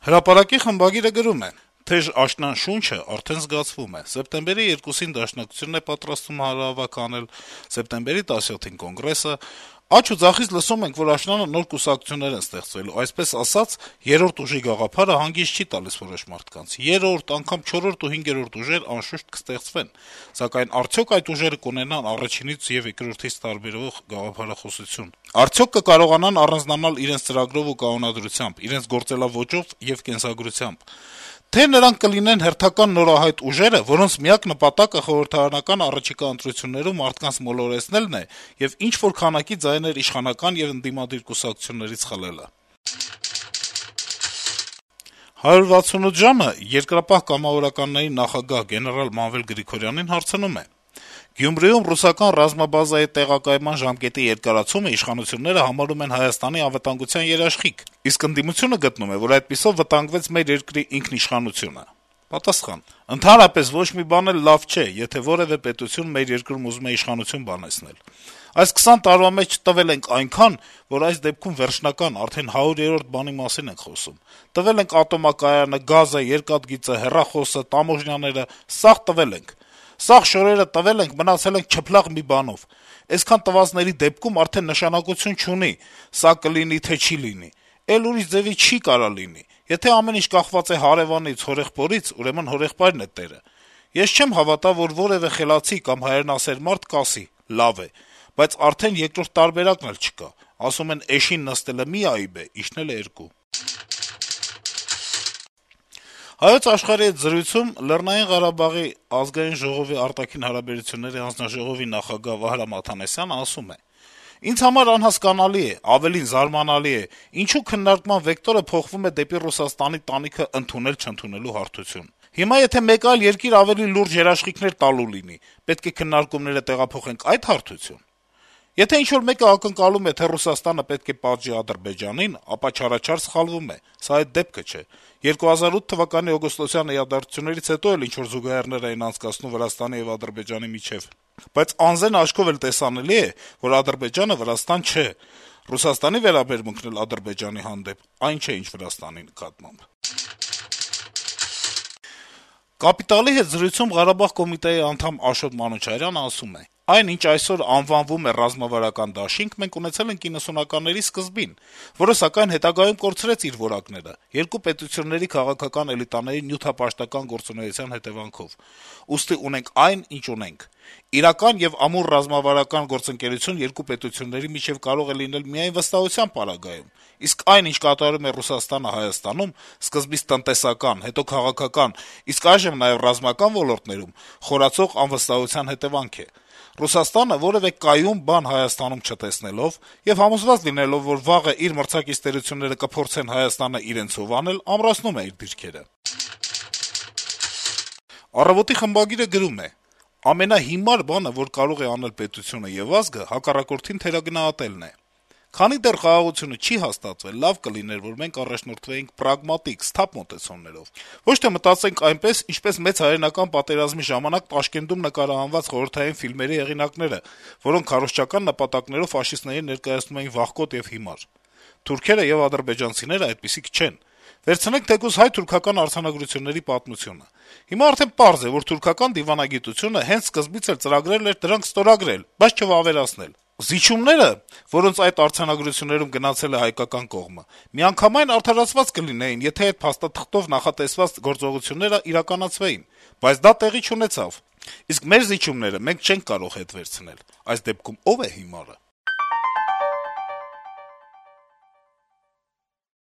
Հրապարակի խմբագիրը գրում է. - «Թեժ աշնան շունչը արդեն զգացվում է: Սեպտեմբերի 2-ին Դաշնակցությունն է պատրաստվում հանրահավաք անել, սեպտեմբերի 17-ին Կոնգրեսը: Աջ ու ձախից լսում ենք, որ աշնանը նոր կուսակցություններ են ստեղծվելու: Այսպես ասած, երրորդ ուժի գաղափարը հանգիստ չի տալիս որոշ մարդկանց: Երրորդ, անգամ չորրորդ ու հինգերորդ ուժեր անշուշտ կստեղծվեն: Սակայն արդյո՞ք այդ ուժերը կունենան առաջինից եւ երկրորդից տարբերվող գաղափարախոսություն: Արդյո՞ք կկարողանան առանձնանալ իրենց ծրագրով ու կանոնադրությամբ, իրենց գործելաոճով եւ կենսագրությամբ: Թե՞ նրանք կլինեն հերթական նորահայտ ուժերը, որոնց միակ նպատակը խորհրդարանական առաջիկա ընտրություններում մարդկանց մոլորեցնելն է եւ ինչ-որ քանակի ձայներ իշխանական եւ ընդդիմադիր կուսակցություններից խլելը»: «168 ժամ»-ը Երկրապահ կամավորականների նախագահ գեներալ Մանվել Գրիգորյանին հարցնում է. - «Գյումրիում ռուսական ռազմաբազայի տեղակայման ժամկետի երկարացումը իշխանությունները համարում են Հայաստանի անվտանգության երաշխիք, իսկ ընդդիմությունը գտնում է, որ այդպիսով վտանգվեց մեր երկրի ինքնիշխանությունը»: Պատասխան. - «Ընդհանրապես ոչ մի բան էլ լավ չէ, եթե որեւէ պետություն մեր երկրում ուզում է իշխանություն բանեցնել: Այս 20 տարվա մեջ տվել ենք այնքան, որ այս դեպքում վերջնական, արդեն 100-րդ բանի մասին ենք խոսում: Տվել ենք ատոմակայանը, գազը, երկաթգիծը, հեռախոսը, տամոժնիաները, սաղ տվել ենք: Սաղ շորերը տվել ենք, մնացել ենք չփլաղ մի բանով: Էսքան տվածների դեպքում արդեն նշանակություն չունի` սա կլինի, թե չի լինի: Էլ ուրիշ ձեւի չի կարա լինի: Եթե ամեն ինչ կախված է հարեւանից, հորեղբորից, ուրեմն հորեղբայրն է տերը: Ես չեմ հավատա, որ որեւէ խելացի կամ հայրենասեր մարդ կասի` լավ է, բայց արդեն երկրորդ տարբերակն էլ չկա: Ասում են` էշին նստելը մի այբ է, իջնելը երկու»: «Հայոց Աշխարհ»-ի հետ զրույցում ԼՂ արտաքին հարաբերությունների հանձնաժողովի նախագահ Վահրամ Աթանասյանը ասում է. - «Ինձ համար անհասկանալի է, ավելին` զարմանալի է, ինչու քննարկման վեկտորը փոխվում է դեպի Ռուսաստանի տանիքը ընդունել-չընդունելու հարթություն: Հիմա եթե մեկ այլ երկիր ավելի լուրջ երաշխիքներ տալու լինի, պետք է քննարկումները տեղափոխենք այդ հարթությո՞ւն: Եթե ինչ-որ մեկը ակնկալում է, թե Ռուսաստանը պետք է պատժի Ադրբեջանին, ապա չարաչար սխալվում է: Սա այդ դեպքը չէ: 2008 թվականի օգոստոսյան իրադարձություններից հետո էլ ինչ-որ զուգահեռներ էին անցկացնում Վրաստանի եւ Ադրբեջանի միջեւ: Բայց անզեն աչքով էլ տեսանելի է, որ Ադրբեջանը Վրաստան չէ: Ռուսաստանի վերաբերմունքն էլ Ադրբեջանի հանդեպ այն չէ, ինչ Վրաստանի նկատմամբ»: «Կապիտալ»-ի հետ զրույցում Ղարաբաղ կոմիտեի անդամ Աշոտ Մանուչարյանը ասում է. - «Այն, ինչ այսօր անվանվում է ռազմավարական դաշինք, մենք ունեցել ենք 90-ականների սկզբին, որը, սակայն, հետագայում կորցրեց իր որակները` երկու պետությունների քաղաքական էլիտաների նյութապաշտական գործունեության հետեւանքով: Ուստի ունենք այն, ինչ ունենք: Իրական եւ ամուր ռազմավարական գործընկերություն երկու պետությունների միջեւ կարող է լինել միայն վստահության պարագայում, իսկ այն, ինչ կատարում է Ռուսաստանը Հայաստանում, սկզբից տնտեսական, հետո քաղաքական, իսկ այժմ նաեւ ռազմական ոլորտներում խորացող անվստահության հետեւանք է: Ռուսաստանը, որեւէ կայուն բան Հայաստանում չտեսնելով եւ համոզված լինելով, որ վաղը իր մրցակից տերությունները կփորձեն Հայաստանը իրենցով անել, ամրացնում է իր դիրքերը»: «Առավոտ»-ի խմբագիրը գրում է. - «Ամենահիմար բանը, որ կարող է անել պետությունը եւ ազգը, հակառակորդին թերագնահատելն է: Քանի դեռ խաղաղությունը չի հաստատվել, լավ կլիներ, որ մենք առաջնորդվեինք պրագմատիկ, սթափ մոտեցումներով: Ոչ թե մտածենք այնպես, ինչպես մեծ հայրենական պատերազմի ժամանակ Տաշկենտում նկարահանված խորհրդային ֆիլմերի հեղինակները, որոնք քարոզչական նպատակներով ֆաշիստներին ներկայացնում էին վախկոտ եւ հիմար: Թուրքերը եւ ադրբեջանցիները այդպիսիք չեն: Վերցնենք թեկուզ հայ-թուրքական արձանագրությունների պատմությունը: Հիմա արդեն պարզ է, որ թուրքական դիվանագիտությունը հենց սկզբից էլ ծրագրել էր դրանք ստորագրել, բայց չվավերացնել: Զիջումները, որոնց այդ արձանագրություններում գնացել է հայկական կողմը, միանգամայն արդարացված կլինեին, եթե այդ փաստաթղթով նախատեսված գործողությունները իրականացվեին: Բայց դա տեղի չունեցավ: Իսկ մեր զիջումները մենք չենք կարող հետ վերցնել: Այս դեպքում ո՞վ է հիմարը»: